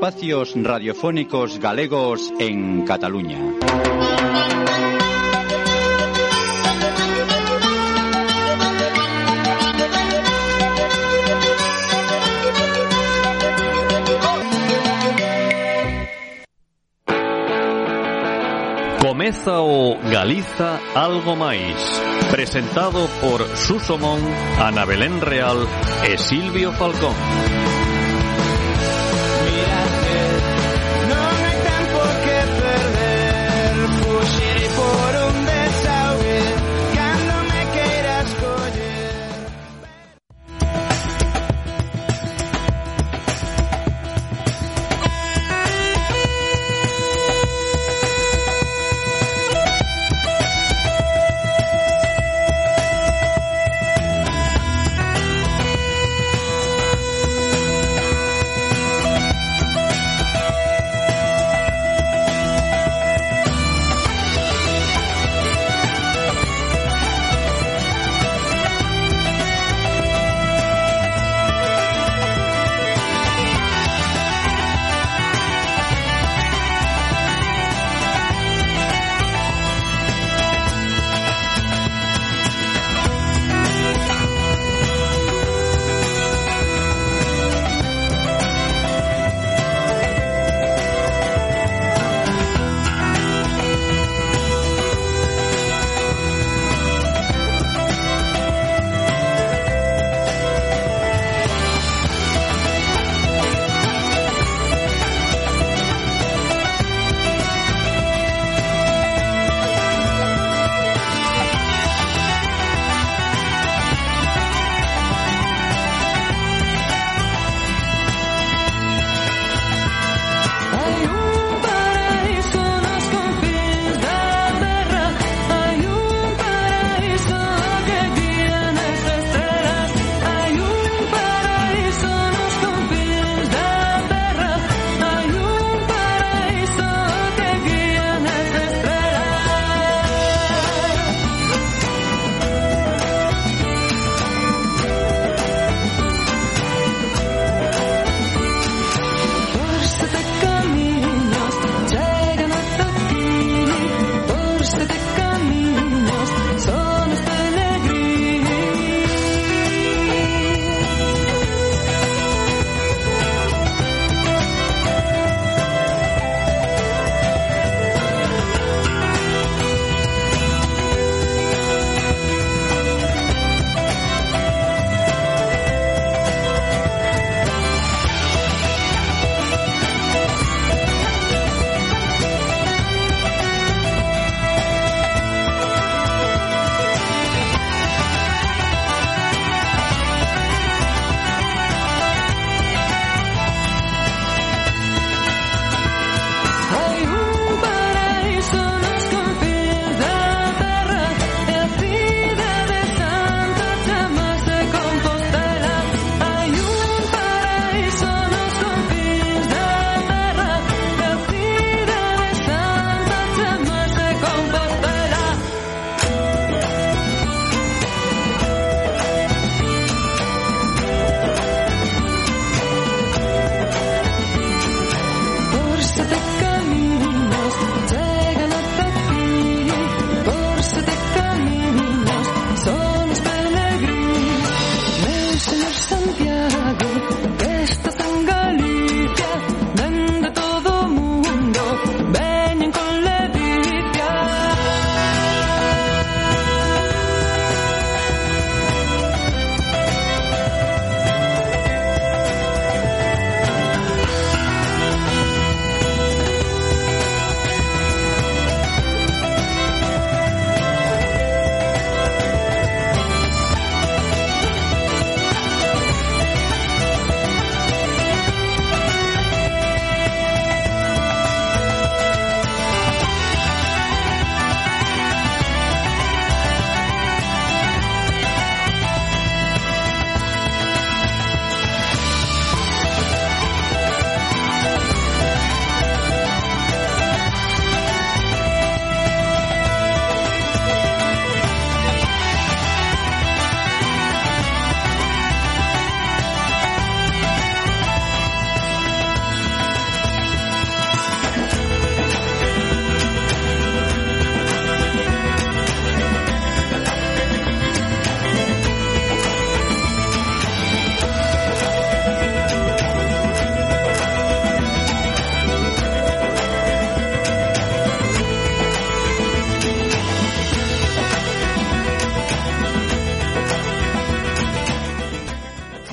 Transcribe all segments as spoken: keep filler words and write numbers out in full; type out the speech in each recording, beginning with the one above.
espacios radiofónicos galegos en Cataluña. Comeza o Galiza Algo Máis, presentado por Suso Mon, Ana Belén Real e Silvio Falcón.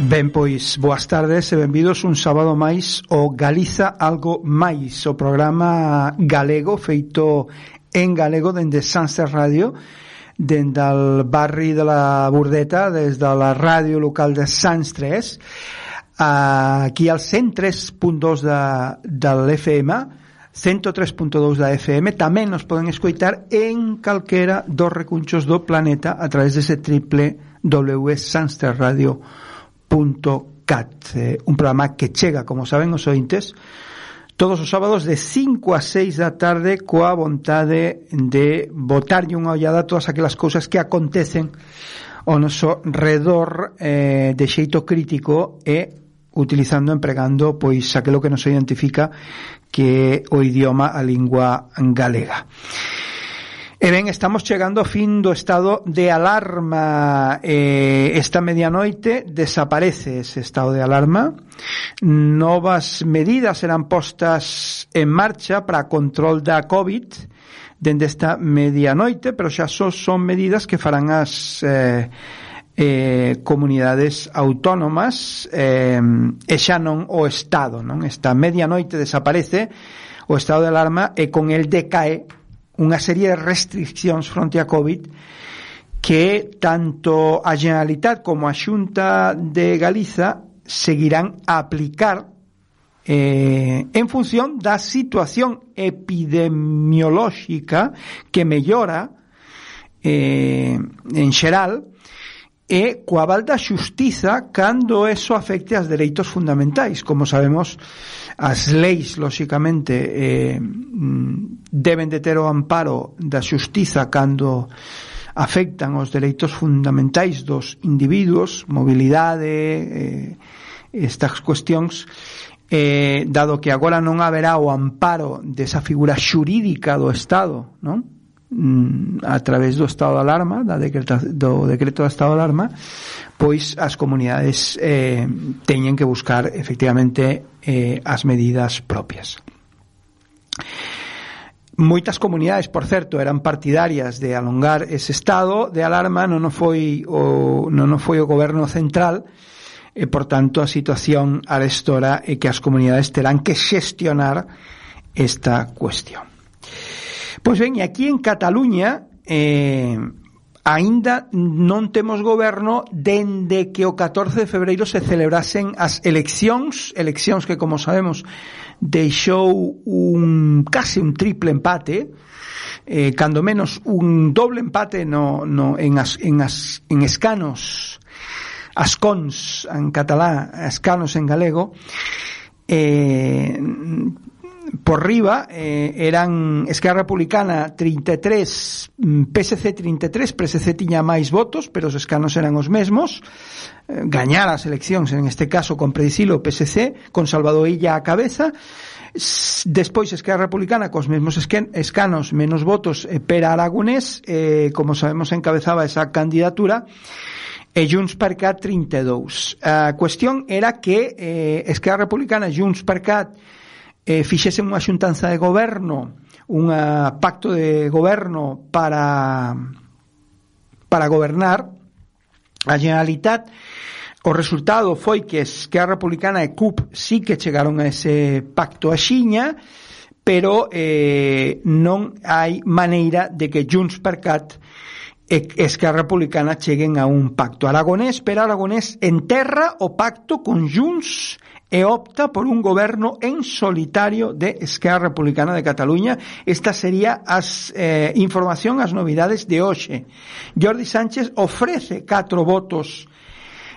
Ben, pois, boas tardes e benvidos un sábado máis ao Galiza Algo Máis, o programa galego feito en galego dende Sanster Radio, dende el barri de la Burdeta, des de la ràdio local de Sants tres, aquí al cent tres punt dos de, de l'F M, cento tres punto dos da F M. Tamén nos poden escoitar en calquera dos recunchos do planeta a través dese triple w punto sanster radio punto cat, eh, un programa que chega, como saben os ointes, todos os sábados de cinco a seis da tarde, coa vontade de botarlle unha ollada a todas aquelas cousas que acontecen ao noso redor, eh, de xeito crítico e utilizando, empregando pois aquilo que nos identifica, que é o idioma, a lingua galega. E ben, estamos chegando ao fin do estado de alarma. Eh, esta medianoite desaparece ese estado de alarma. Novas medidas serán postas en marcha para control da COVID dende esta medianoite, pero xa só son medidas que farán as eh, eh, comunidades autónomas, eh, e xa non o Estado, non? Esta medianoite desaparece o estado de alarma e con el decae unha serie de restriccións fronte a COVID que tanto a Generalitat como a Xunta de Galiza seguirán a aplicar eh, en función da situación epidemiolóxica que mellora eh, en xeral e coa aval da xustiza cando eso afecte aos dereitos fundamentais. Como sabemos, as leis, lóxicamente, eh, deben de ter o amparo da xustiza cando afectan os dereitos fundamentais dos individuos, mobilidade, eh, estas cuestións, eh, dado que agora non haberá o amparo desa figura xurídica do Estado, non? A través do estado de alarma, da decreta, do decreto de estado de alarma, pois as comunidades eh, teñen que buscar efectivamente eh, as medidas propias. Moitas comunidades, por certo, eran partidarias de alongar ese estado de alarma, non foi o, non foi o goberno central, e por tanto a situación arestora é que as comunidades terán que xestionar esta cuestión. Pois ben, e aquí en Cataluña eh, aínda non temos goberno dende que o catorce de febreiro se celebrasen as eleccións, eleccións que, como sabemos, deixou un case un triple empate, eh, cando menos un doble empate no, no, en, as, en, as, en escanos, ascons en catalá, escanos en galego, eh, por riba eh, eran Esquerra Republicana trinta e tres, P S C trinta e tres, P S C tiña máis votos, pero os escanos eran os mesmos, eh, gañar as eleccións, en este caso con predicilo P S C, con Salvador Illa á cabeza. Despois Esquerra Republicana cos mesmos escanos, menos votos, eh, Pere Aragonés, eh, como sabemos encabezaba esa candidatura, e Junts per Cat trinta e dous. A cuestión era que eh, Esquerra Republicana e Junts per Cat eh, fixesen unha xuntanza de goberno, un pacto de goberno para para gobernar a Generalitat. O resultado foi que Esquerra Republicana e C U P sí que chegaron a ese pacto axiña, pero eh, non hai maneira de que Junts per Cat e Esquerra Republicana cheguen a un pacto. Aragonés, Pere Aragonés, enterra o pacto con Junts e opta por un goberno en solitario de Esquerra Republicana de Cataluña. Esta sería as eh, información, as novidades de hoxe. Jordi Sánchez ofrece catro votos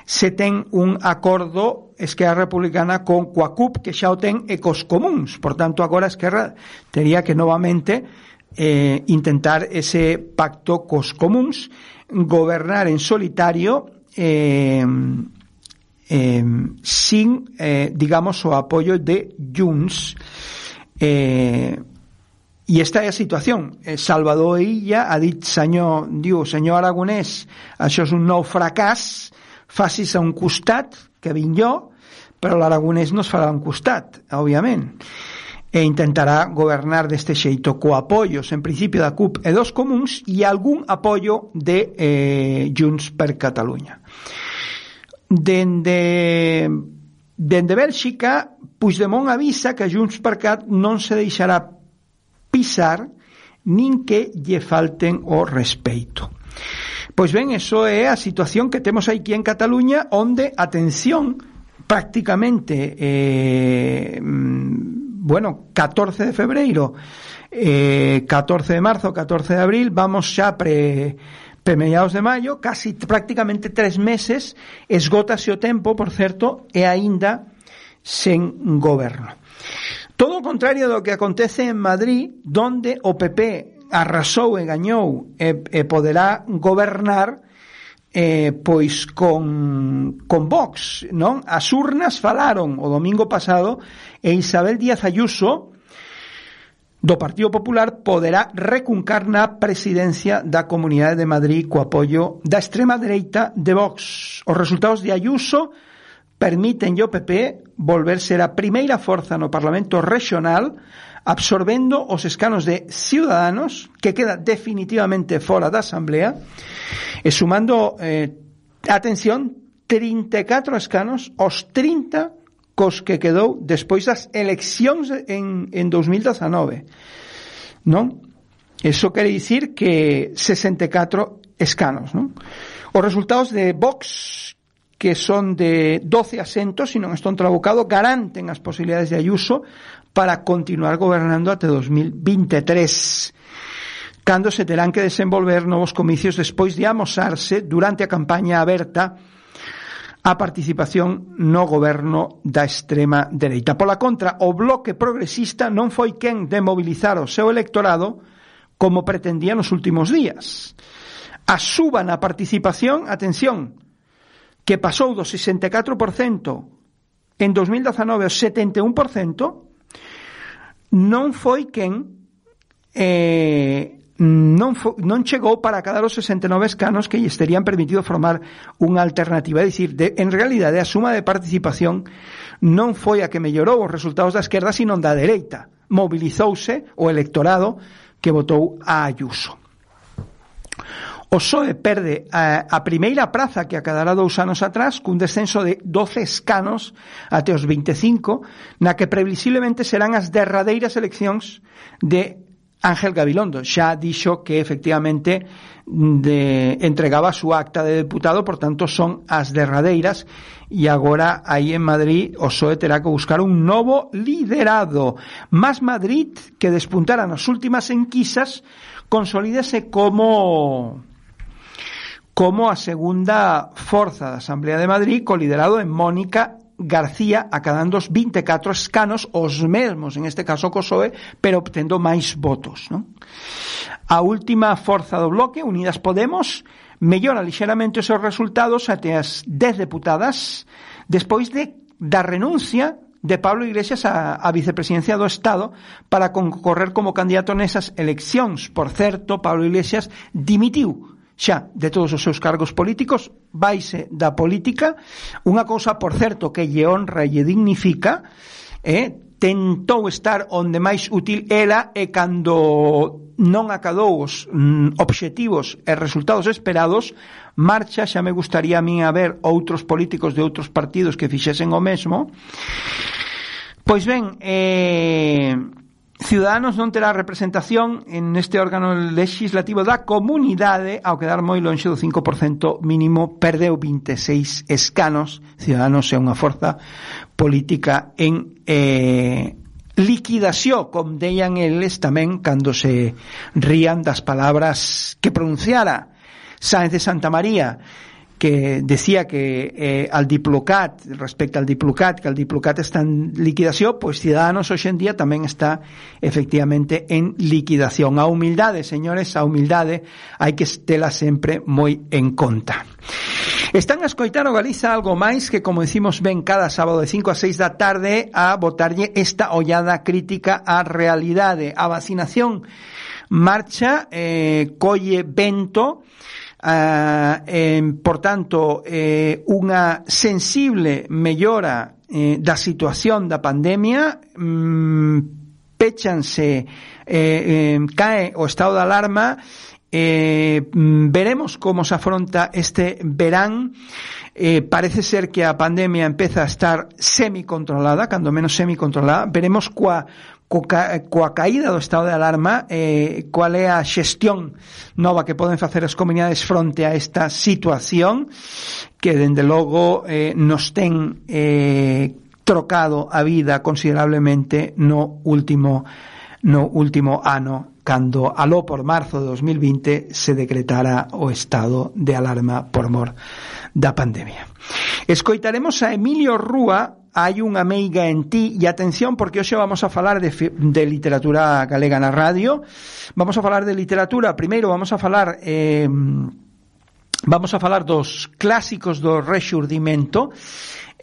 se ten un acordo Esquerra Republicana con coa C U P, que xa o ten, e cos comuns. Por tanto, agora Esquerra tería que novamente eh, intentar ese pacto cos comuns, gobernar en solitario, eh, Eh, sin, eh, digamos, o apoio de Junts. Eh, e esta é a situación. Eh, Salvador Illa ha dit, senyor, diu, senyor Aragonès, això és un nou fracàs, facis a un costat, que vinc jo, però l'Aragonès no es farà a un costat, òbviament. E intentará gobernar deste xeito co apoios, en principio, da C U P e dos comuns e algún apoio de eh, Junts per Catalunya. dende dende Bélxica, Puigdemont avisa que a Junts per Cat non se deixará pisar nin que lle falten o respeito. Pois ben, eso é a situación que temos aquí en Cataluña, onde, atención, prácticamente eh, bueno, catorce de febreiro, eh, catorce de marzo, catorce de abril, vamos xa pre pre mediados de maio, casi prácticamente tres meses, esgótase o tempo, por certo, e aínda sen goberno. Todo o contrario do que acontece en Madrid, donde o P P arrasou e gañou e, e poderá gobernar eh, pois con, con Vox, non? As urnas falaron o domingo pasado e Isabel Díaz Ayuso do Partido Popular poderá recuncar na presidencia da Comunidade de Madrid co apoio da extrema dereita de Vox. Os resultados de Ayuso permiten ao P P volver ser a primeira forza no Parlamento Regional, absorbendo os escanos de Ciudadanos, que queda definitivamente fora da Asamblea, e sumando, eh, atención, trinta e catro escanos aos trinta cos que quedou despois das eleccións en, en dos mil dezanove, non? Eso quere dicir que sesenta e catro escanos, non? Os resultados de Vox, que son de doce asentos, se non estou trabucado, garanten as posibilidades de Ayuso para continuar gobernando até dos mil veintitrés, cando se terán que desenvolver novos comicios despois de amosarse durante a campaña aberta a participación no goberno da extrema dereita. Pola contra, o Bloque Progresista non foi quen de mobilizar o seu electorado como pretendía nos últimos días. A suba na participación, atención, que pasou do sesenta e catro por cento en dos mil dezanove ao setenta e un por cento, non foi quen eh, non, fo, non chegou para cadar os sesenta e nove escanos que lles terían permitido formar unha alternativa. É dicir, de, en realidade a suma de participación non foi a que mellorou os resultados da esquerda, sino da dereita. Mobilizouse o electorado que votou a Ayuso. O P S O E perde a, a primeira praza que acadará dous anos atrás, cun descenso de doce escanos até os veinticinco, na que previsiblemente serán as derradeiras eleccións de Ángel Gabilondo. Xa dixo que efectivamente de, entregaba a súa acta de deputado, por tanto son as derradeiras, e agora aí en Madrid o P S O E terá que buscar un novo liderado. Más Madrid, que despuntara nas últimas enquisas, consolídase como como a segunda forza da Asamblea de Madrid, co liderado en Mónica García, acadando os vinte e catro escanos, os mesmos, en este caso co P S O E, pero obtendo máis votos, non? A última forza do bloque, Unidas Podemos, mellora lixeramente os seus resultados até as dez deputadas, despois de da renuncia de Pablo Iglesias a, a vicepresidencia do Estado para concorrer como candidato nesas eleccións. Por certo, Pablo Iglesias dimitiu xa de todos os seus cargos políticos, vaise da política, unha cousa, por certo, que lle honra e lle dignifica, eh, tentou estar onde máis útil era, e cando non acadou os mm, obxectivos e resultados esperados, marcha. Xa me gustaría a mí a ver outros políticos de outros partidos que fixesen o mesmo. Pois ben, eh, Ciudadanos non terá representación en este órgano legislativo da comunidade, ao quedar moi lonxe do cinco por cento mínimo, perdeu vinte e seis escanos. Ciudadanos é unha forza política en eh, liquidación, como deían eles tamén cando se rían das palabras que pronunciara Sáenz de Santa María, que decía que eh, al Diplocat, respecto al Diplocat, que el Diplocat está en liquidación, pois Ciudadanos hoxe en día tamén está efectivamente en liquidación. A humildade, señores, a humildade hai que estela sempre moi en conta. Están a escoitar o Galiza Algo Máis, que, como decimos ben, cada sábado de cinco a seis da tarde a botarlle esta ollada crítica á realidade. A vacinación marcha, eh, colle vento. Uh, eh, por tanto, eh, unha sensible mellora eh, da situación da pandemia, mm, péchanse, eh, eh, cae o estado de alarma, Eh, veremos como se afronta este verán. Eh, parece ser que a pandemia empeza a estar semicontrolada, cando menos semicontrolada. Veremos coa, coa, coa caída do estado de alarma eh, cual é a xestión nova que poden facer as comunidades fronte a esta situación que, dende logo, eh, nos ten eh, trocado a vida considerablemente no último no último ano, cando aló por marzo de dos mil vinte se decretara o estado de alarma por mor da pandemia. Escoitaremos a Emilio Rúa, Hai unha meiga en ti, e atención porque hoxe vamos a falar de, de literatura galega na radio. Vamos a falar de literatura, primeiro vamos a falar eh, vamos a falar dos clásicos do Rexurdimento.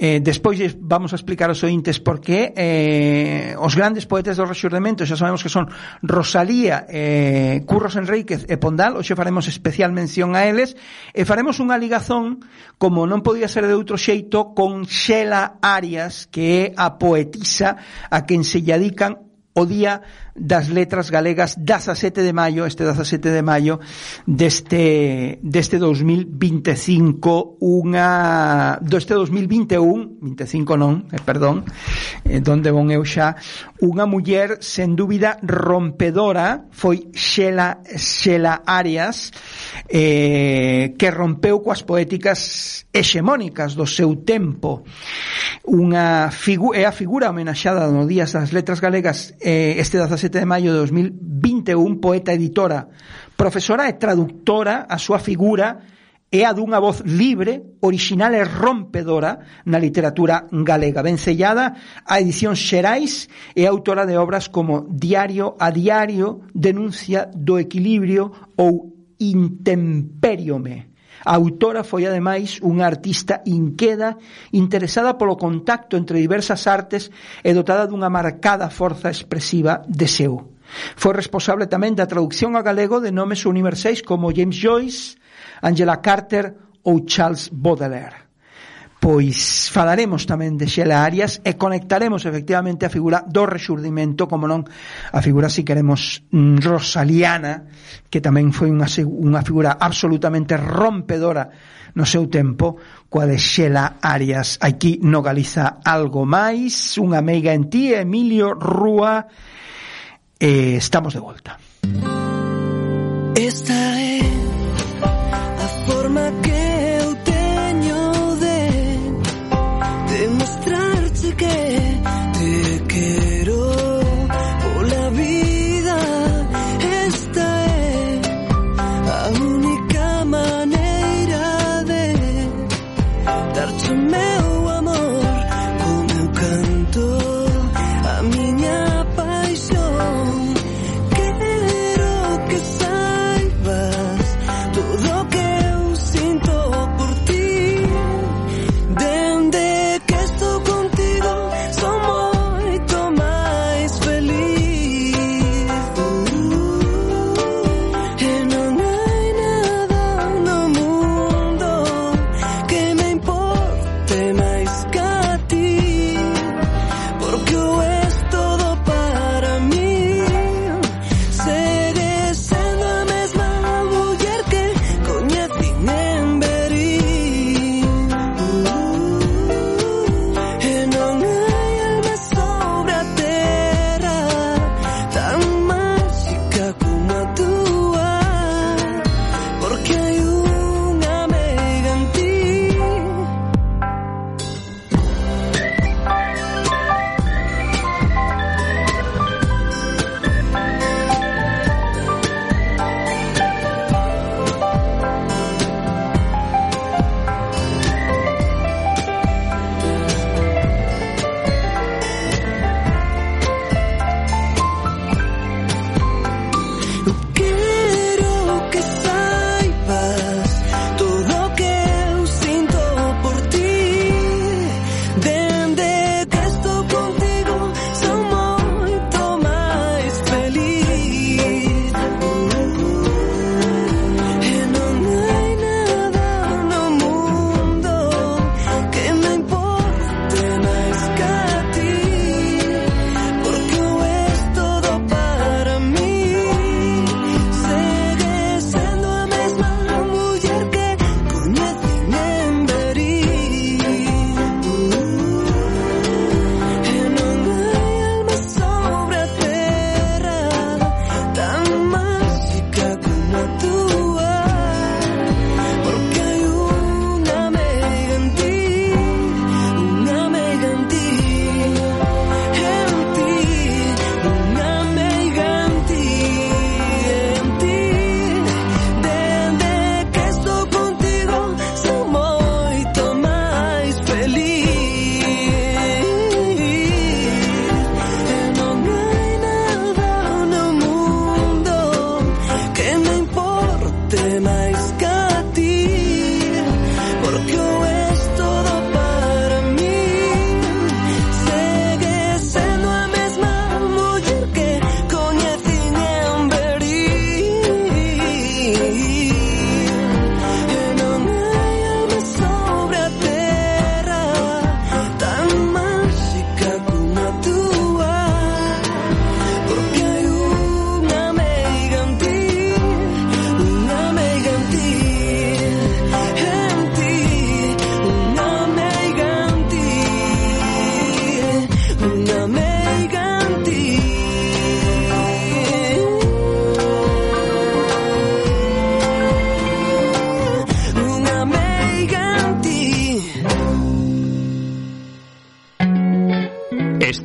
Eh, despois vamos a explicar aos ointes por que eh, os grandes poetas do Rexurdimento xa sabemos que son Rosalía, eh, Curros Enríquez e Pondal. Hoxe faremos especial mención a eles e faremos unha ligazón, como non podía ser de outro xeito, con Xela Arias, que é a poetisa a quen se lle dedican o Día das Letras Galegas, dezasete de maio, este dezasete de maio deste deste dos mil veinticinco, unha deste dos mil vinte e un, vinte e cinco non, eh, perdón, eh, donde von eu xa, unha muller sen dúbida rompedora, foi Xela Xela Arias, eh, que rompeu coas poéticas hexemónicas do seu tempo. Unha figu- é a figura homenaxada no Días das Letras Galegas eh, este dezasete de maio de dos mil vinte e un, poeta, editora, profesora e traductora. A súa figura é a dunha voz libre, original e rompedora na literatura galega, vencellada a edicións xerais e autora de obras como Diario a Diario, Denuncia do Equilibrio ou Intemperiome. A autora foi, ademais, unha artista inqueda, interesada polo contacto entre diversas artes e dotada dunha marcada forza expresiva de seu. Foi responsable tamén da traducción a galego de nomes universais como James Joyce, Angela Carter ou Charles Baudelaire. Pois falaremos tamén de Xela Arias e conectaremos efectivamente a figura do Rexurdimento, como non a figura, si queremos, rosaliana, que tamén foi unha, unha figura absolutamente rompedora no seu tempo, coa de Xela Arias. Aquí no Galiza Algo Máis, unha meiga en ti, Emilio Rúa, e estamos de volta. Esta é a forma que demostrarte que te quiero por la vida. Esta é a única maneira de dar-te o meu amor, o meu canto, a miña paixón. Quero que saibas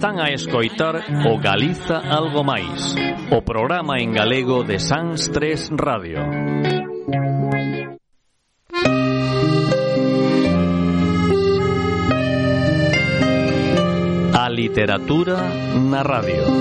Están a escoitar o Galiza Algo Máis, o programa en galego de Sans tres Radio. A literatura na radio.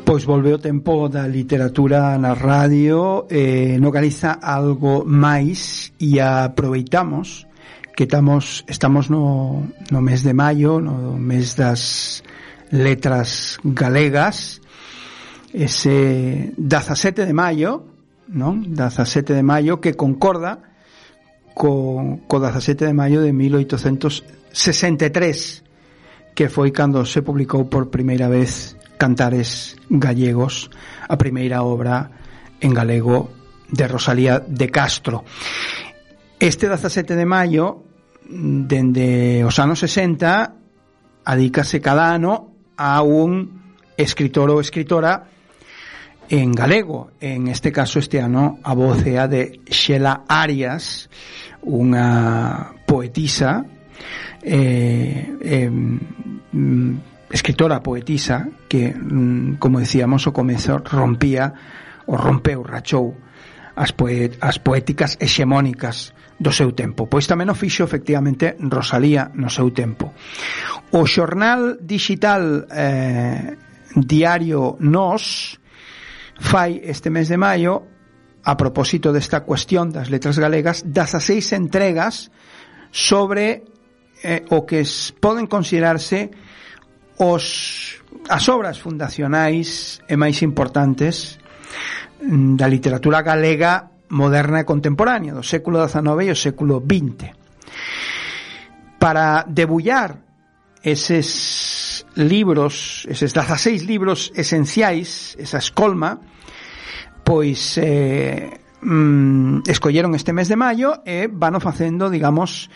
Pois volve o tempo da literatura na radio, eh, no Galiza Algo Máis, e aproveitamos que estamos estamos no, no mes de maio, no mes das letras galegas, ese dezasete de maio, non? dezasete de maio, que concorda co, co dezasete de maio de mil oitocentos sesenta e tres, que foi cando se publicou por primeira vez Cantares Gallegos, a primeira obra en galego de Rosalía de Castro. Este dezasete de maio, dende os anos sesenta, adícase cada ano a un escritor ou escritora en galego. En este caso, este ano, a voz é a de Xela Arias, unha poetisa, eh, eh, escritora poetisa que, como decíamos, o comezo rompía o rompeu, rachou as, poet, as poéticas hexemónicas do seu tempo. Pois tamén o fixo efectivamente Rosalía no seu tempo. O xornal digital eh, Diario Nós fai este mes de maio, a propósito desta cuestión das letras galegas, dezaseis entregas sobre eh, o que poden considerarse os as obras fundacionais e máis importantes da literatura galega moderna e contemporánea do século dezenove e o século vinte. Para debullar eses libros, eses dezaseis libros esenciais, esa escolma, pois eh, mm, escolleron este mes de maio e vano facendo, digamos,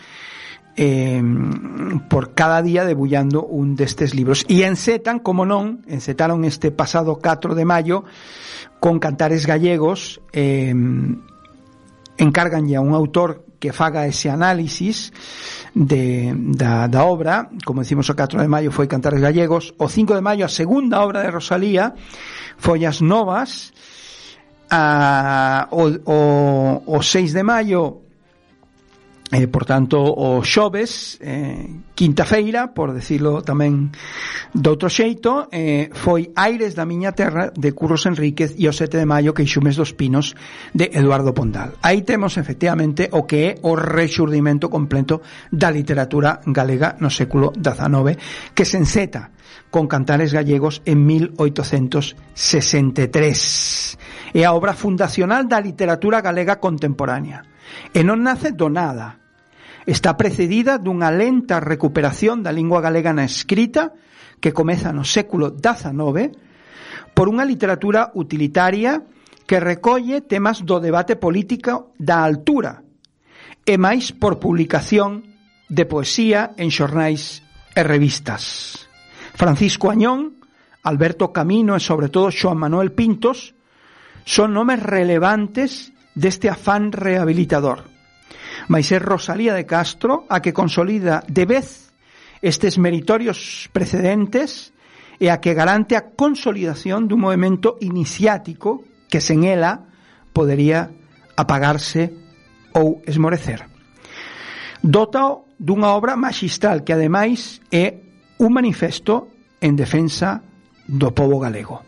Eh, por cada día debullando un destes libros, e encetan, como non, encetaron este pasado catro de maio con Cantares Gallegos. eh, encargan ya un autor que faga ese análisis de, da, da obra. Como decimos, o catro de maio foi Cantares Gallegos, o cinco de maio a segunda obra de Rosalía, Follas Novas, a, o, o, o seis de maio, Eh, por tanto, o xoves, eh, quinta feira, por decirlo tamén de outro xeito, eh, foi Aires da miña terra, de Curros Enríquez, e o sete de maio, Queixumes dos Pinos, de Eduardo Pondal. Aí temos, efectivamente, o que é o rexurdimento completo da literatura galega no século dezenove, que se enceta con Cantares Gallegos en mil oitocentos sesenta e tres. É a obra fundacional da literatura galega contemporánea. E non nace do nada. Está precedida dunha lenta recuperación da lingua galega na escrita que comeza no século dezenove por unha literatura utilitaria que recolle temas do debate político da altura e máis por publicación de poesía en xornais e revistas. Francisco Añón, Alberto Camino e sobre todo Xoán Manuel Pintos son nomes relevantes deste afán rehabilitador. Mais é Rosalía de Castro a que consolida de vez estes meritorios precedentes e a que garante a consolidación dun movimento iniciático que sen ela podería apagarse ou esmorecer. Dótao dunha obra maxistral que ademais é un manifesto en defensa do pobo galego.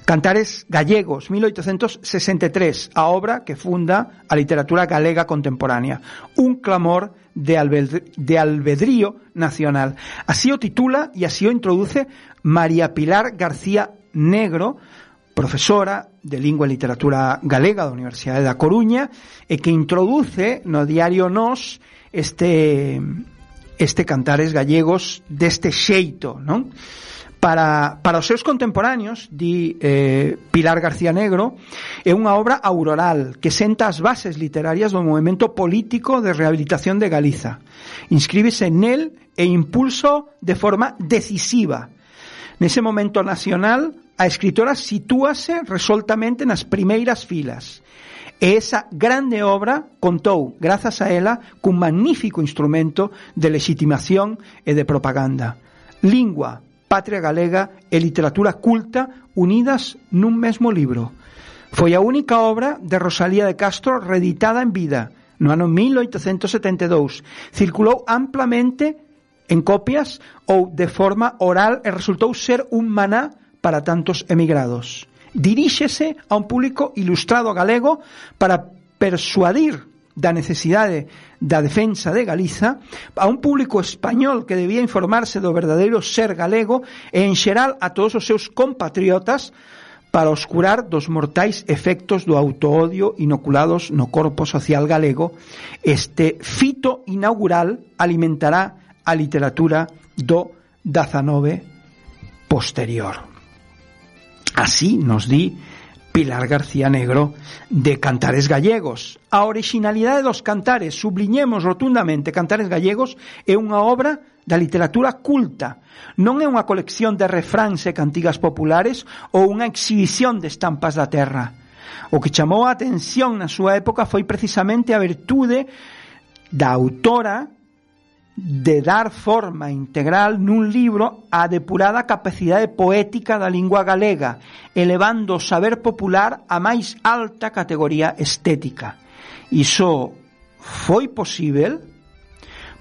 Cantares Gallegos, mil oitocentos sesenta e tres, a obra que funda a literatura galega contemporánea, un clamor de, albedr- de albedrío nacional. Así o titula e así o introduce María Pilar García Negro, profesora de Lingua e Literatura Galega da Universidade da Coruña, e que introduce no Diario Nós este, este Cantares Gallegos deste xeito, non? Para, para os seus contemporáneos, di eh, Pilar García Negro, é unha obra auroral que senta as bases literarias do movimento político de rehabilitación de Galiza. Inscríbese nel e impulso de forma decisiva. Nese momento nacional a escritora sitúase resoltamente nas primeiras filas. E esa grande obra contou, grazas a ela, cun magnífico instrumento de legitimación e de propaganda. Lingua, patria galega e literatura culta unidas nun mesmo libro. Foi a única obra de Rosalía de Castro reeditada en vida, no ano mil oitocentos setenta e dous. Circulou amplamente en copias ou de forma oral e resultou ser un maná para tantos emigrados. Diríxese a un público ilustrado galego para persuadir da necesidade da defensa de Galiza, a un público español que debía informarse do verdadeiro ser galego e en xeral a todos os seus compatriotas para oscurar dos mortais efectos do autoodio inoculados no corpo social galego. Este fito inaugural alimentará a literatura do dezanove posterior. Así nos di Pilar García Negro de Cantares Gallegos. A orixinalidade dos cantares, subliñemos rotundamente, Cantares Gallegos é unha obra da literatura culta. Non é unha colección de refráns e cantigas populares ou unha exhibición de estampas da terra. O que chamou a atención na súa época foi precisamente a virtude da autora de dar forma integral nun libro á depurada capacidade poética da lingua galega, elevando o saber popular á máis alta categoría estética. Iso foi posível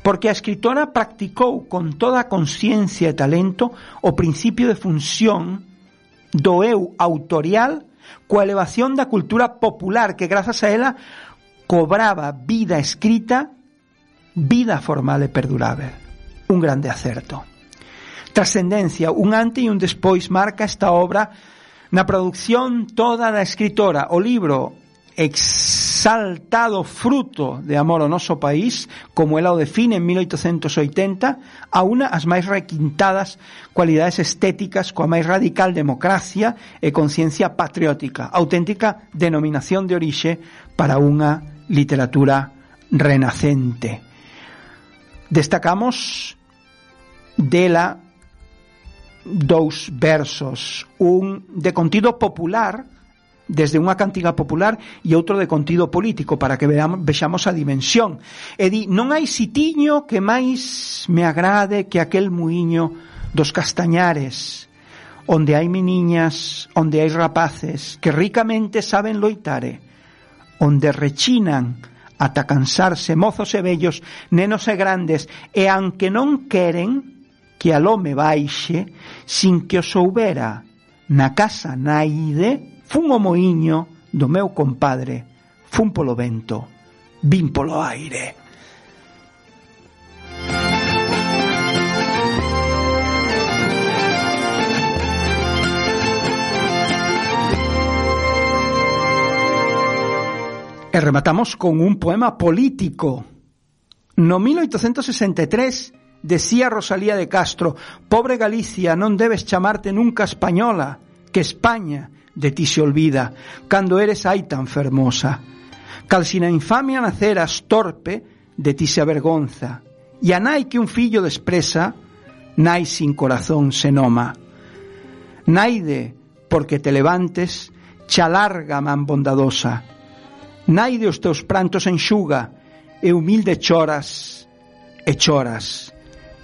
porque a escritora practicou con toda a consciencia e talento o principio de función do eu autorial coa elevación da cultura popular que grazas a ela cobraba vida escrita, vida formal e perdurável. Un grande acerto. Trascendencia, un antes e un despois marca esta obra na produción toda da escritora. O libro exaltado fruto de amor ao noso país, como ela o define en mil oitocentos oitenta, aúna as máis requintadas cualidades estéticas coa máis radical democracia e conciencia patriótica, auténtica denominación de orixe para unha literatura renacente. Destacamos dela dous versos, un de contido popular, desde unha cantiga popular, e outro de contido político, para que veamos, vexamos a dimensión. E di, non hai sitiño que máis me agrade que aquel muiño dos castañares, onde hai meniñas, onde hai rapaces, que ricamente saben loitare, onde rechinan ata cansarse mozos e vellos, nenos e grandes, e aunque non queren que al home baixe, sin que o soubera na casa naide, fun o moiño do meu compadre, fun polo vento, vin polo aire. E rematamos con un poema político. No mil oitocentos sesenta e tres decía Rosalía de Castro: pobre Galicia, non debes chamarte nunca española, que España de ti se olvida, cando eres aí tan fermosa. Cal si na infamia naceras torpe, de ti se avergonza, e a nai que un fillo despresa, nai sin corazón se noma. Naide, porque te levantes, cha larga man bondadosa, naide os teus prantos enxuga, e humilde choras, e choras.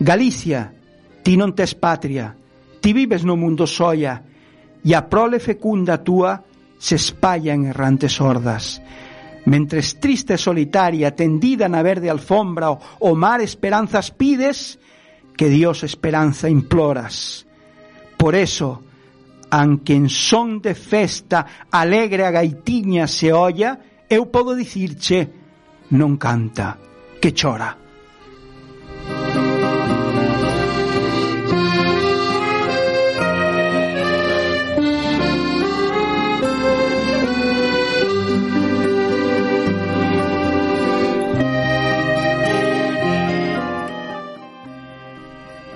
Galicia, ti non tes patria, ti vives no mundo soia, e a prole fecunda túa se espalla en errantes hordas. Mentres triste e solitaria, tendida na verde alfombra, o, o mar esperanzas pides, que Dios esperanza imploras. Por eso, aunque en son de festa alegre a gaitiña se olla, eu podo dicirche, non canta, que chora.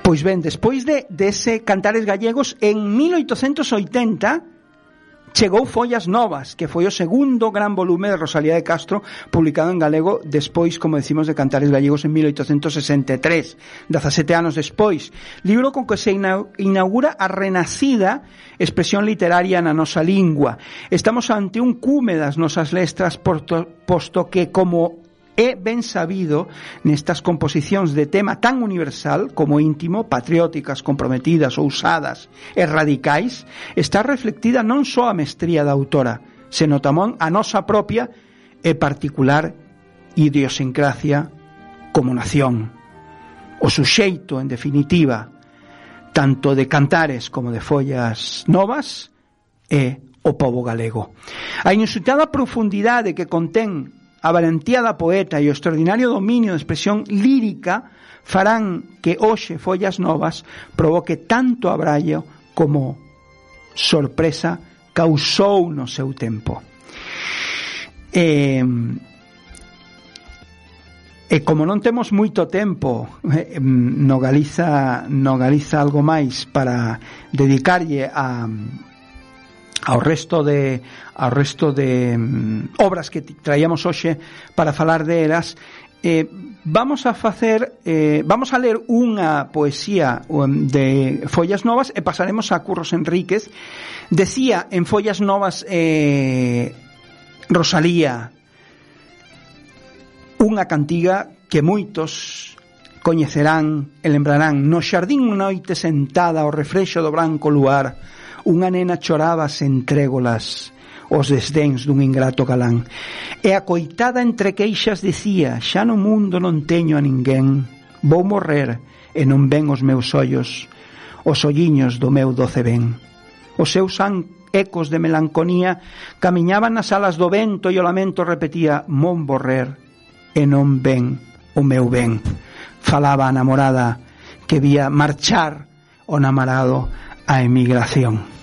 Pois ben, despois de dese Cantares Gallegos, en mil oitocentos oitenta chegou Follas Novas, que foi o segundo gran volume de Rosalía de Castro publicado en galego despois, como decimos, de Cantares Gallegos en mil oitocentos sesenta e tres, dezasete anos despois, libro con que se inaugura a renacida expresión literaria na nosa lingua. Estamos ante un cume das nosas letras, posto que, como é ben sabido, nestas composicións de tema tan universal como íntimo, patrióticas, comprometidas, ousadas e radicais, está reflectida non só a mestría da autora, seno tamén a nosa propia e particular idiosincrasia como nación. O suxeito, en definitiva, tanto de Cantares como de Follas Novas, é o pobo galego. A inusitada profundidade que contén a valentía da poeta e o extraordinario dominio de expresión lírica farán que hoxe Follas Novas provoque tanto abrallo como sorpresa causou no seu tempo. E, e como non temos moito tempo eh, no Galiza, no Galiza algo máis para dedicarlle a ao resto de ao resto de um, obras que traíamos hoxe para falar delas, eh, vamos a facer eh, vamos a ler unha poesía um, de Follas Novas e pasaremos a Curros Enríquez. Decía en Follas Novas eh, Rosalía unha cantiga que moitos coñecerán e lembrarán: no xardín unha noite sentada ao refrexo do branco luar, unha nena choraba sen trégolas os desdéns dun ingrato galán, e a coitada entre queixas dicía: xa no mundo non teño a ninguén, vou morrer e non ven os meus ollos, os olliños do meu doce ben. Os seus ecos de melancolía camiñaban nas alas do vento e o lamento repetía: mon morrer e non ven o meu ben. Falaba a namorada que vía marchar o namorado a emigración.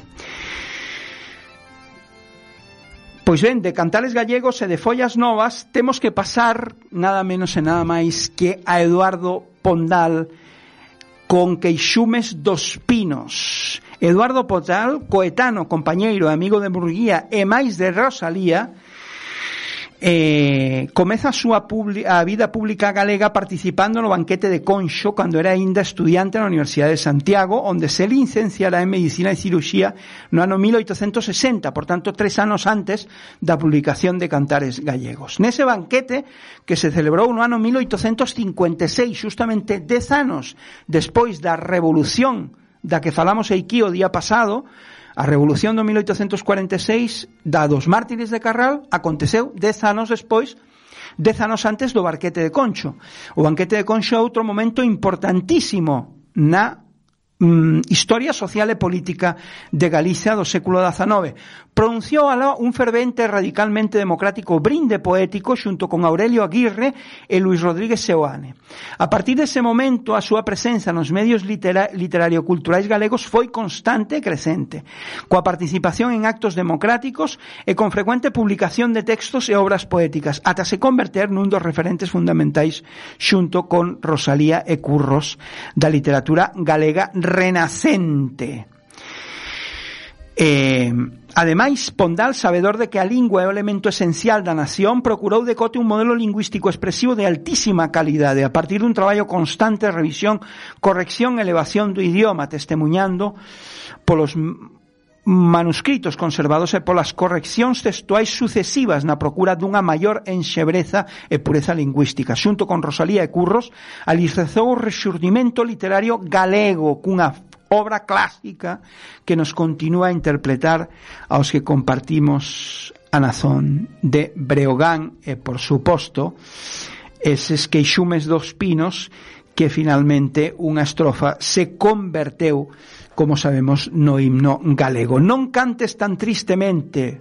Pois ben, de Cantares Gallegos e de Follas Novas temos que pasar nada menos e nada máis que a Eduardo Pondal con Queixumes dos Pinos. Eduardo Pondal, coetano, compañeiro e amigo de Murguía e máis de Rosalía, eh, comeza a súa publi- a vida pública galega participando no banquete de Conxo cando era aínda estudiante na Universidade de Santiago, onde se licenciará en Medicina e Ciruxía no ano mil oitocentos sesenta, por tanto tres anos antes da publicación de Cantares Gallegos. Nese banquete, que se celebrou no ano mil oitocentos cincuenta e seis, justamente dez anos despois da revolución da que falamos aquí o día pasado, a revolución do mil oitocentos cuarenta e seis da dos mártires de Carral aconteceu dez anos despois, dez anos antes do banquete de Conxo. O banquete de Conxo é outro momento importantísimo na mm, historia social e política de Galicia do século dezanove. Pronunciou aló un fervente e radicalmente democrático brinde poético xunto con Aurelio Aguirre e Luis Rodríguez Seoane. A partir dese momento, a súa presenza nos medios litera- literario-culturais galegos foi constante e crecente, coa participación en actos democráticos e con frecuente publicación de textos e obras poéticas, ata se converter nun dos referentes fundamentais xunto con Rosalía e Curros da literatura galega renacente. Eh, ademais, Pondal, sabedor de que a lingua é o elemento esencial da nación, procurou decote un modelo lingüístico expresivo de altísima calidade a partir dun traballo constante de revisión, corrección e elevación do idioma, testemunhando polos manuscritos conservados e polas correccións textuais sucesivas na procura dunha maior enxebreza e pureza lingüística. Xunto con Rosalía e Curros, alicerçou o rexurdimento literario galego cunha obra clásica que nos continúa a interpretar aos que compartimos a nazón de Breogán e, por suposto, eses Queixumes dos Pinos, que finalmente unha estrofa se converteu, como sabemos, no himno galego. Non cantes tan tristemente,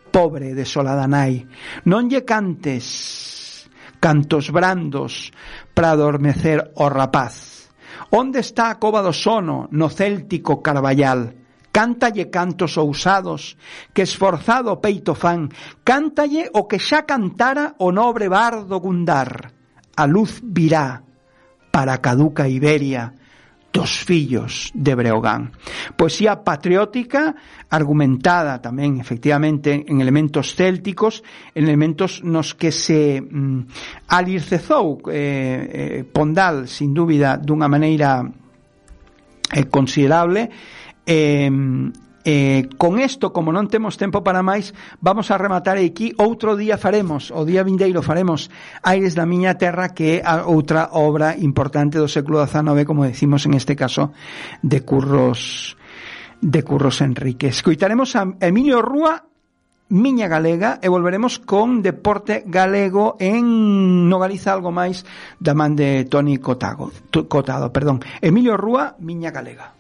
pobre desolada nai, non lle cantes cantos brandos para adormecer o rapaz. Onde está a cova do sono no céltico Carballal? Cántalle cantos ousados que esforzado o peito fan, cántalle o que xa cantara o nobre bardo Gundar. A luz virá para a caduca Iberia dos fillos de Breogán. Poesía patriótica, argumentada tamén, efectivamente, en elementos célticos, en elementos nos que se mm, alircezou eh, eh, Pondal, sin dúbida, dunha maneira eh, considerable. Eh, Eh, con isto, como non temos tempo para máis, vamos a rematar aquí. Outro día faremos, o día vindeiro faremos Aires da miña terra, que é a outra obra importante do século dezanove, como decimos en este caso, de Curros de Curros Enrique. Escoitaremos a Emilio Rúa, Miña Galega, e volveremos con deporte galego en No Galiza Algo Máis, da man de Toni Cotado, Cotado, perdón. Emilio Rúa, Miña Galega.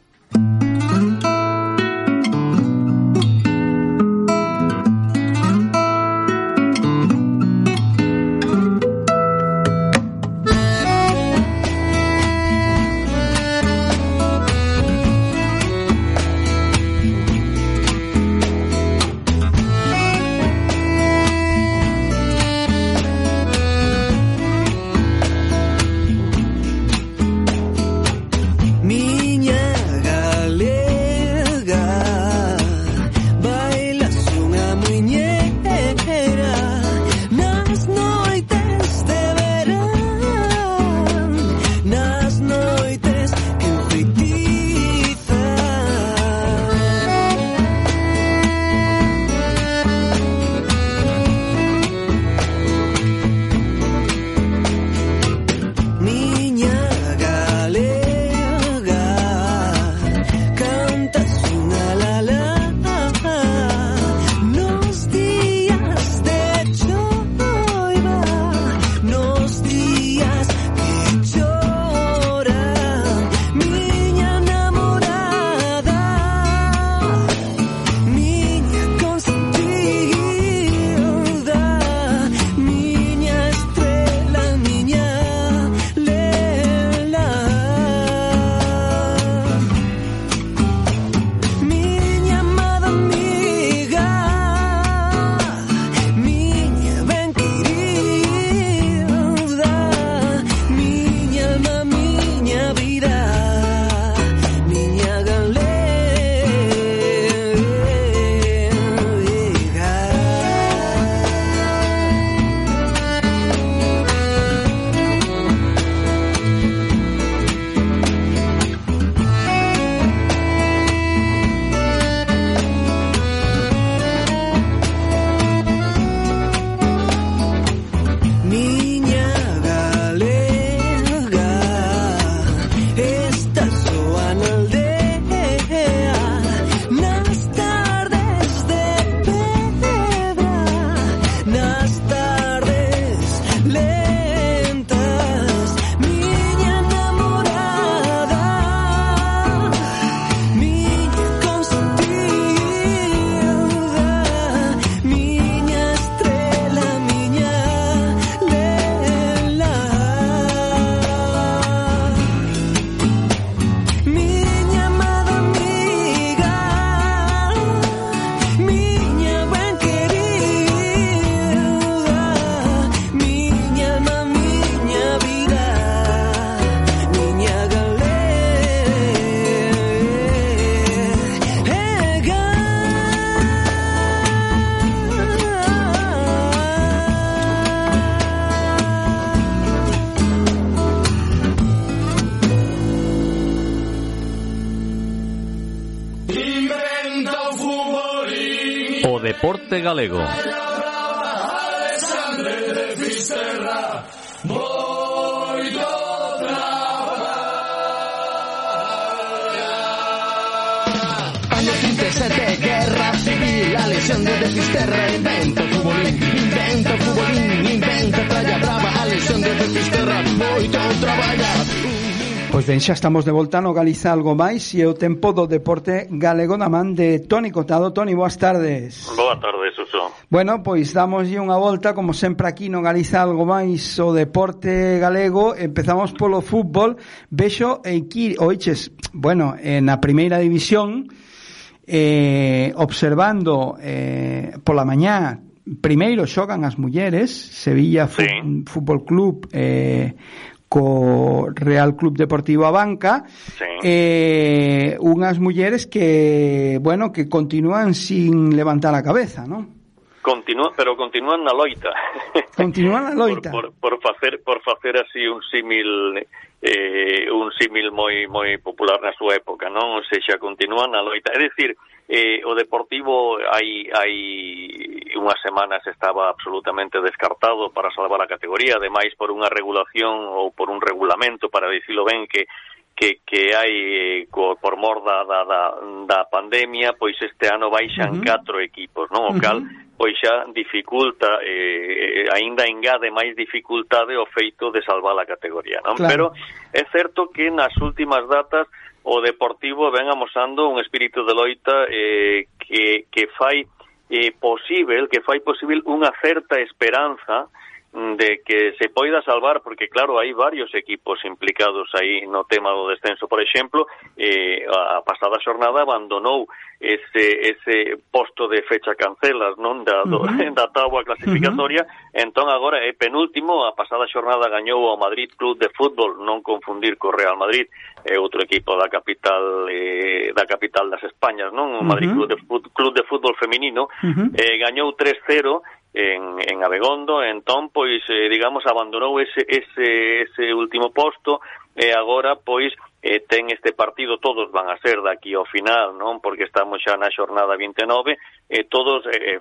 Deporte galego. Año trinta y siete, guerra civil, la lesión de Fisterra, inventa futbolín, inventa futbolín, inventa tralla brava, a lesión de Fisterra, moito traballa. Pois ben, xa estamos de volta no Galiza Algo Máis e o tempo do deporte galego na man de Toni Cotado. Toni, boas tardes. Boa tarde, Suso. Bueno, pois damoslle unha volta, como sempre aquí no Galiza Algo Máis, o deporte galego. Empezamos polo fútbol. Vexo aquí, oiches, bueno, na primeira división, eh, observando eh, pola mañá, primeiro xogan as mulleres, Sevilla sí. Fútbol Club eh, co Real Club Deportivo Abanca, sí. eh, unhas mulleres que, bueno, que continúan sin levantar a cabeza, ¿no? Continúa, pero continúan na loita. Continúan na loita. por, por, por facer por facer así un símil eh, un símil moi moi popular na súa época, non? Ou seja, continúan na loita. É dicir, eh, o Deportivo hai hai unhas semanas estaba absolutamente descartado para salvar a categoría, ademais por unha regulación ou por un regulamento, para dicilo ben, que que que hai co, por mor da, da, da, da pandemia, pois este ano baixan uh-huh. catro equipos, non? O cal uh-huh. pois xa dificulta, eh, aínda engade máis dificultade o feito de salvar a categoría, non? Claro. Pero é certo que nas últimas datas o Deportivo ven amosando un espírito de loita eh, que, que fai eh, posible, que fai posible unha certa esperanza de que se poida salvar, porque claro, hai varios equipos implicados aí no tema do descenso. Por exemplo, eh, a pasada xornada abandonou ese ese posto de fecha cancelas, non, da, do, uh-huh. da táboa clasificatoria, uh-huh. entón agora é penúltimo. A pasada xornada gañou o Madrid Club de Fútbol, non confundir co Real Madrid, é outro equipo da capital eh, da capital das Españas, non? O Madrid uh-huh. Club de Fútbol, Club de Fútbol feminino, uh-huh. eh, gañou tres cero en, en Abegondo, entón, pois, eh, digamos, abandonou ese, ese, ese último posto, e agora, pois, eh, ten este partido, todos van a ser daqui ao final, non? Porque estamos xa na xornada vinte e nove, e eh, todos eh,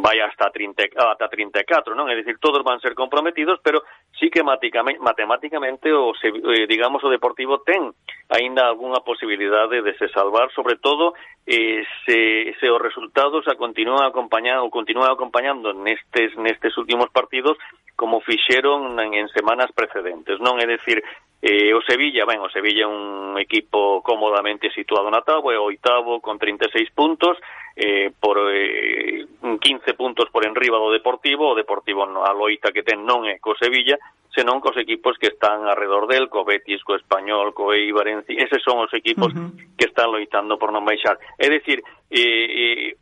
vai hasta trinta, hasta trinta e catro, non? É dicir, todos van ser comprometidos, pero sí que matemáticamente, o, eh, digamos, o Deportivo ten aínda algunha posibilidade de se salvar, sobre todo eh, se, se os resultados a continúan acompañando, ou continúan acompañando nestes, nestes últimos partidos como fixeron en, en semanas precedentes, non? É dicir, eh, o Sevilla, ben, o Sevilla é un equipo cómodamente situado na táboa, é o oitavo con trinta e seis puntos, eh, por eh, quince puntos por enriba do Deportivo. O Deportivo a loita que ten non é co Sevilla, senón cos equipos que están alrededor del, co Betis, co Español, co Eibar, eses son os equipos uh-huh. que están loitando por non baixar. É dicir, eh, eh,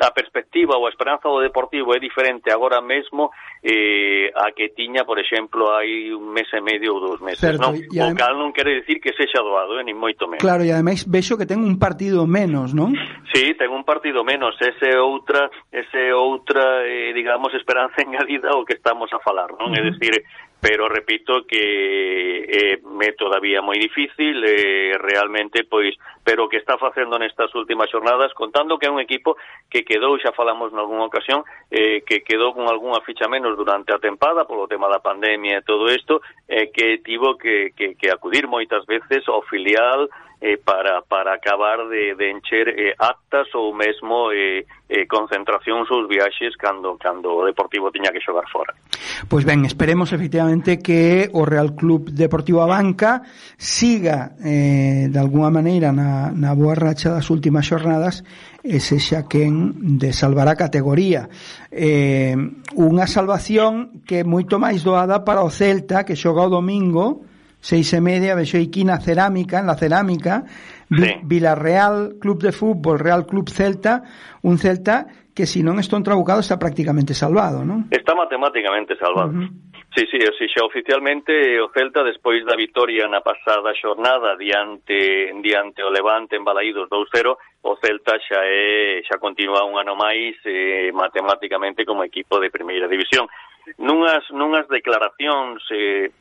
a perspectiva ou a esperanza do Deportivo é diferente agora mesmo eh, a que tiña, por exemplo, hai un mes e medio ou dous meses, certo, non? O adem... cal non quere dicir que sexa doado, eh, nin moito menos. Claro, e ademais vexo que ten un partido menos, non? Sí, ten un partido menos, ese outra, ese outra, eh, digamos, esperanza engadida o que estamos a falar, non? Uh-huh. É dicir, pero repito que eh, é todavía moi difícil, eh, realmente, pois, pero que está facendo nestas últimas xornadas, contando que é un equipo que quedou, xa falamos nalgúna ocasión, eh, que quedou con algunha ficha menos durante a tempada, polo tema da pandemia e todo isto, eh, que tivo que, que, que acudir moitas veces ao filial eh, para, para acabar de, de encher eh, actas ou mesmo eh, eh, concentracións ou viaxes cando, cando o Deportivo tiña que xogar fora. Pois ben, esperemos efectivamente que o Real Club Deportivo Abanca siga eh, de alguna maneira na, na boa racha das últimas xornadas e sexa quen de salvar a categoría. Eh, unha salvación que é moito máis doada para o Celta, que xoga o domingo seis e media, vexo aquí na Cerámica, en la Cerámica, sí. Villarreal Club de Fútbol, Real Club Celta, un Celta que si non está entrabucado está prácticamente salvado, non? Está matemáticamente salvado. Uh-huh. Sí, sí, sí, xa oficialmente o Celta, despois da vitoria na pasada xornada diante diante o Levante en Balaídos dous cero, o Celta xa é xa continúa un ano máis eh, matemáticamente como equipo de primeira división. Nunhas nunhas declaracións eh,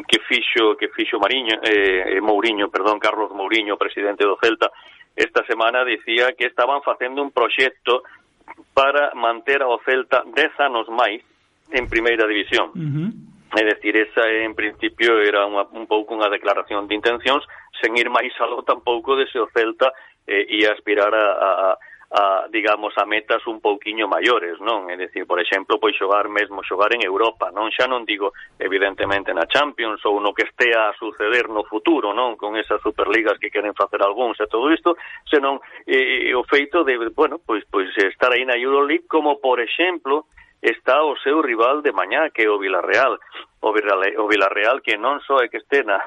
que fixo que fixo Mariño, eh, Mourinho, perdón, Carlos Mourinho, presidente do Celta, esta semana dicía que estaban facendo un proxecto para manter ao Celta dez anos máis en primeira división. Uh-huh. É dicir, esa en principio era unha, un pouco unha declaración de intencións, sen ir máis aló tampouco de se o Celta eh, ia aspirar a, a a, digamos, a metas un pouquiño maiores, non? É dicir, por exemplo, pois xogar mesmo, xogar en Europa, non? Xa non digo, evidentemente, na Champions ou no que estea a suceder no futuro, non? Con esas superligas que queren facer algúns e todo isto, senón eh, o feito de, bueno, pois, pois estar aí na Euroleague, como, por exemplo, está o seu rival de mañá, que é o Villarreal. O Villarreal, o Villarreal que non só é que este na,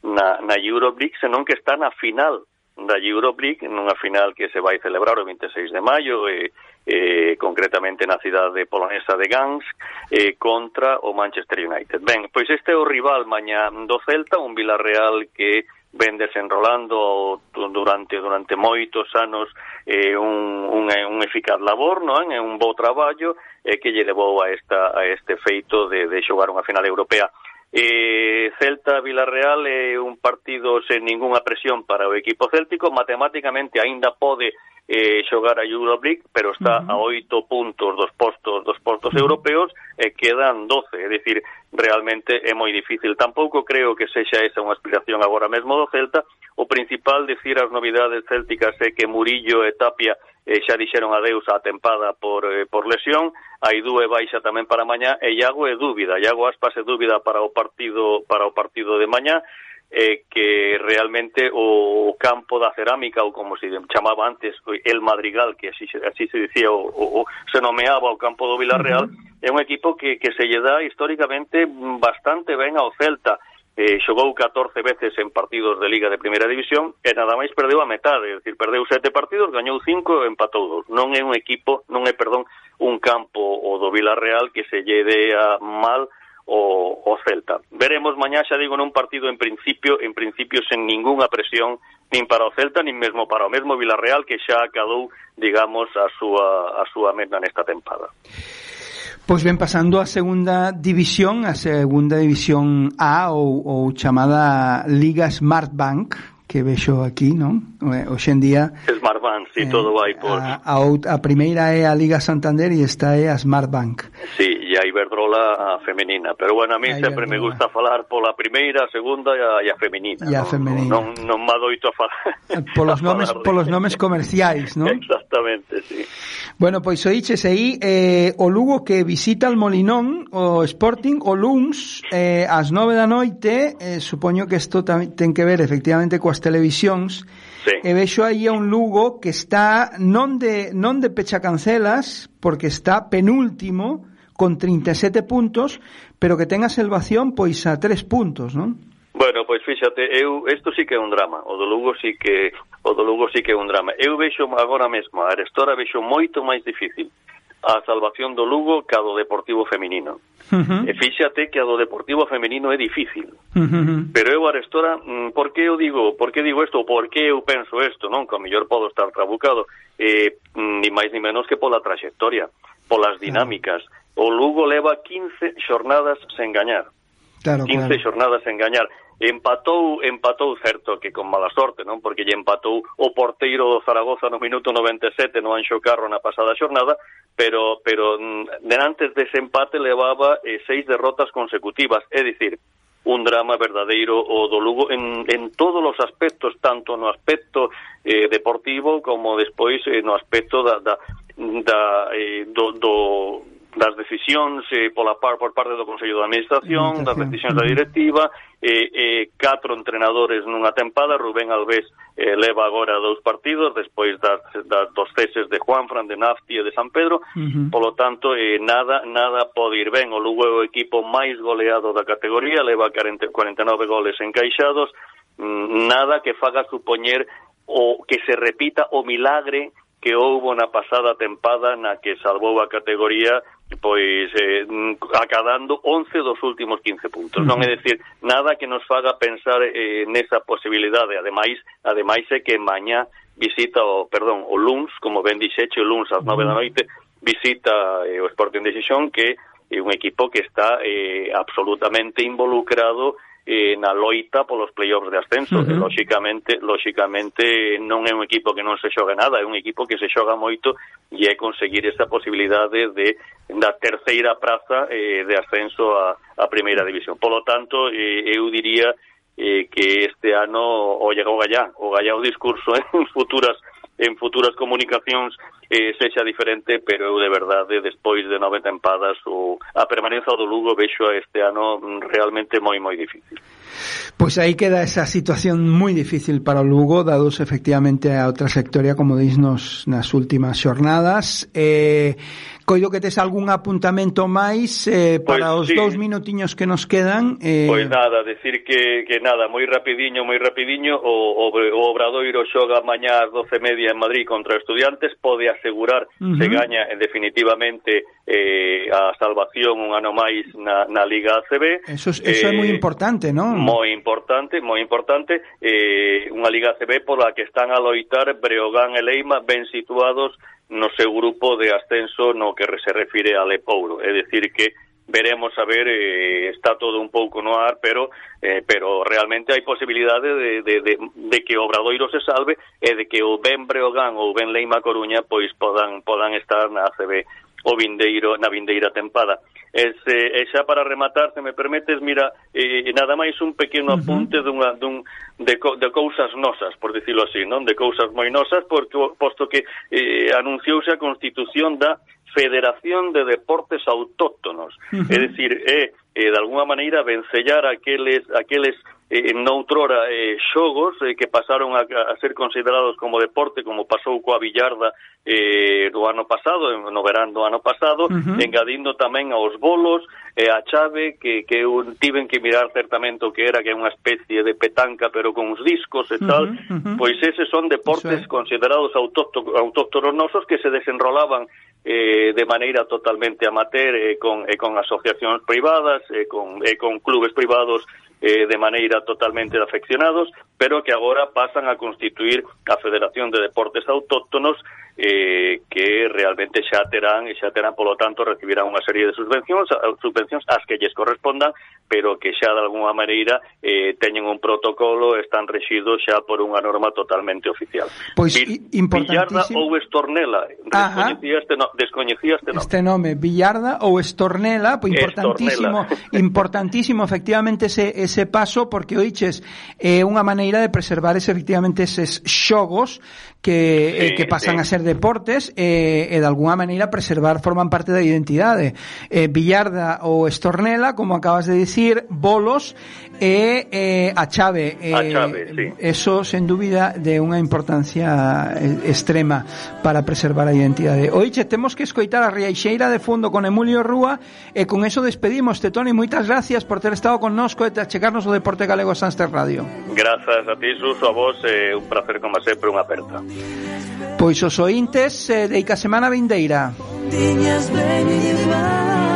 na, na Euroleague, senón que está na final da Euroleague nunha final que se vai celebrar o veintiséis de maio, eh, eh, concretamente na cidade polonesa de Gdansk, eh, contra o Manchester United. Ben, pois este é o rival mañá do Celta, un Villarreal que ven desenrolando durante durante moitos anos eh, un, un, un eficaz labor, non? É un bo traballo eh, que lle levou a, esta, a este feito de, de xogar unha final europea. Eh, Celta-Villarreal é un partido sen ningunha presión para o equipo céltico, matemáticamente aínda pode eh, xogar a Euroleague, pero está uh-huh. a oito puntos dos postos dos postos uh-huh. europeos e quedan doce, é dicir, realmente é moi difícil. Tampouco creo que sexa esa unha aspiración agora mesmo do Celta. O principal, decir as novidades célticas é que Murillo e Tapia eh, xa dixeron adeus á tempada por, eh, por lesión, Aidú é baixa tamén para mañá, e Iago é dúbida, Iago Aspas é dúbida para o partido para o partido de mañá, eh, que realmente o campo da cerámica, ou como se chamaba antes, el Madrigal, que así, así se dicía, o, o, se nomeaba o campo do Villarreal, uh-huh. é un equipo que, que se lle dá históricamente bastante ben ao Celta. Eh, xogou catorce veces en partidos de Liga de Primeira División e nada máis perdeu a metade, é dicir, perdeu sete partidos, gañou cinco e empatou dous. Non é un equipo, non é, perdón, un campo o do Villarreal que se lle dea mal o, o Celta. Veremos mañá, xa digo, nun partido en principio, en principio sen ningunha presión nin para o Celta, nin mesmo para o mesmo Villarreal que xa acadou, digamos, a súa a súa meta nesta tempada. Pois ben, pasando a segunda división, a segunda división A ou, ou chamada Liga Smartbank, que vexo aquí, non? Hoxe en día Smartbank, si, sí, eh, todo vai por... A, a, a primeira é a Liga Santander e esta é a Smartbank. Sí, e a Iberdrola a femenina, pero bueno, a mí a sempre Iberdrola. Me gusta falar pola primeira, a segunda e a, e a femenina. E a non, femenina. Non, non me adoito a falar. Polos nomes, polos nomes comerciais, non? Exactamente, sí. Bueno, pois oíches aí eh, o Lugo que visita el Molinón, o Sporting, o luns eh, ás nove da noite, eh, supoño que isto ten que ver efectivamente coas televisións, sí. E vexo aí a un Lugo que está non de non de pechacancelas, porque está penúltimo con trinta e sete puntos, pero que ten a salvación pois a tres puntos, non? Bueno, pois fíxate, eu isto sí que é un drama. O do Lugo sí que o do Lugo sí que é un drama. Eu vexo agora mesmo a Arestora vexo moito máis difícil a salvación do Lugo que a do Deportivo feminino. Uh-huh. E fíxate que a do Deportivo feminino é difícil. Uh-huh. Pero eu Arestora, por que eu digo, por que digo isto, por que eu penso isto, non? Que ao mellor podo estar trabucado, eh, ni máis ni menos que pola traxectoria, polas dinámicas. Uh-huh. O Lugo leva quince xornadas sen gañar. Claro, quince claro. xornadas sen gañar. Empatou, empatou certo que con mala sorte, non? Porque lle empatou o porteiro do Zaragoza no minuto noventa e sete no Anxo Carro na pasada xornada, pero pero denantes dese empate levaba eh, seis derrotas consecutivas, é dicir, un drama verdadeiro o do Lugo en, en todos os aspectos, tanto no aspecto eh, deportivo como despois eh, no aspecto da, da, da eh, do, do das decisións eh, pola par por parte do Consello de Administración, das decisións da directiva, eh, eh, catro entrenadores nunha tempada. Rubén Alves eh, leva agora dous partidos despois das, das, dos ceses de Juanfran, de Nafti e de San Pedro. Uh-huh. Polo tanto, eh, nada nada pode ir ben. O Lugo é o equipo máis goleado da categoría, leva cuarenta e nove goles encaixados, mm, nada que faga supoñer o que se repita o milagre que houbo na pasada tempada na que salvou a categoría pois eh, acadando once dos últimos quince puntos. Uh-huh. Non é dicir, nada que nos faga pensar eh, nesa posibilidade. Ademais, ademais é que mañá visita o, perdón, o luns, como ben dixeche, o luns ás nove da noite, visita eh, o Sporting de Xixón, que é un equipo que está eh, absolutamente involucrado eh, na loita polos playoffs de ascenso. Uh-huh. Lóxicamente, lóxicamente non é un equipo que non se xoga nada, é un equipo que se xoga moito e é conseguir esa posibilidade de da terceira praza eh, de ascenso a, a primeira división. Polo tanto, eh, eu diría eh, que este ano o llega o gallá, o gallá o discurso en futuras en futuras comunicacións eh, sexa diferente, pero eu de verdade, despois de nove tempadas, o, a permanencia do Lugo vexo este ano realmente moi, moi difícil. Pois aí queda esa situación moi difícil para o Lugo, dados efectivamente a outra trayectoria, como disnos nas últimas xornadas. Eh, coido que tes algún apuntamento máis eh, para pois, os sí. dous minutiños que nos quedan. Eh... Pois nada, decir que, que nada, moi rapidiño, moi rapidiño, o, o, o Obradoiro xoga mañá ás doce e media en Madrid contra Estudiantes, pode asegurar uh-huh. se gaña eh, definitivamente eh, a salvación un ano máis na, na Liga A C B. Eso, eso eh, é moi importante, non? Moi importante, moi importante, eh, unha Liga A C B pola que están a loitar Breogán e Leima ben situados no seu grupo de ascenso no que se refire a Lepouro. É dicir que veremos a ver, eh, está todo un pouco no ar, pero eh, pero realmente hai posibilidade de, de, de, de que o Obradoiro se salve e de que o ben Breogán ou ben Leima Coruña pois podan podan estar na A C B o vindeiro, na vindeira tempada. Ese, e xa para rematar, se me permetes, mira, eh, nada máis un pequeno apunte uh-huh. dunha, dun, de, de cousas nosas, por dicilo así, non? De cousas moi nosas, porque, posto que eh, anunciouse a constitución da Federación de Deportes Autóctonos. Uh-huh. É dicir, é, eh, de alguna maneira, vencellar aqueles, aqueles eh, noutrora eh, xogos eh, que pasaron a, a ser considerados como deporte, como pasou coa billarda eh, do ano pasado, no verán do ano pasado, uh-huh. engadindo tamén aos bolos, eh, a chave, que, que un, tiven que mirar certamente o que era, que é unha especie de petanca, pero con uns discos e tal, uh-huh, uh-huh. pois eses son deportes considerados autóctonos nosos que se desenrolaban eh, de maneira totalmente amateur, eh, con, eh, con asociacións privadas, eh, con, eh, con clubes privados eh, de maneira totalmente de afeccionados, pero que agora pasan a constituir a Federación de Deportes Autóctonos, eh, que realmente xa terán, e xa terán, polo tanto, recibirán unha serie de subvencións, subvencións as que lles correspondan, pero que xa de alguna maneira eh, teñen un protocolo, están rexidos xa por unha norma totalmente oficial. Pois Villarda ou Estornela, descoñecía este, no, descoñecía este nome. Este nome, Villarda ou Estornela, pois importantísimo, Estornela. importantísimo efectivamente ese, ese paso, porque oiches, é eh, unha maneira de preservar ese, efectivamente eses xogos que, sí, eh, que pasan sí. a ser deportes e, eh, e de alguna maneira preservar, forman parte da identidade. Eh, Villarda ou Estornela, como acabas de dicir, bolos e eh, a chave. Eh, a chave, sí. Eso, sen dúbida, de unha importancia extrema para preservar a identidade. Oiche, temos que escoitar a Riaixeira de fondo con Emilio Rúa e con eso despedimos. Te, Toni, moitas gracias por ter estado connosco e chegarnos o Deporte Galego a Sanster Radio. Grazas a ti, Suso, a vos, eh, un placer como sempre, unha aperta. Pois os ointes eh, de Ica Semana Vindeira. Tiñas ben llevar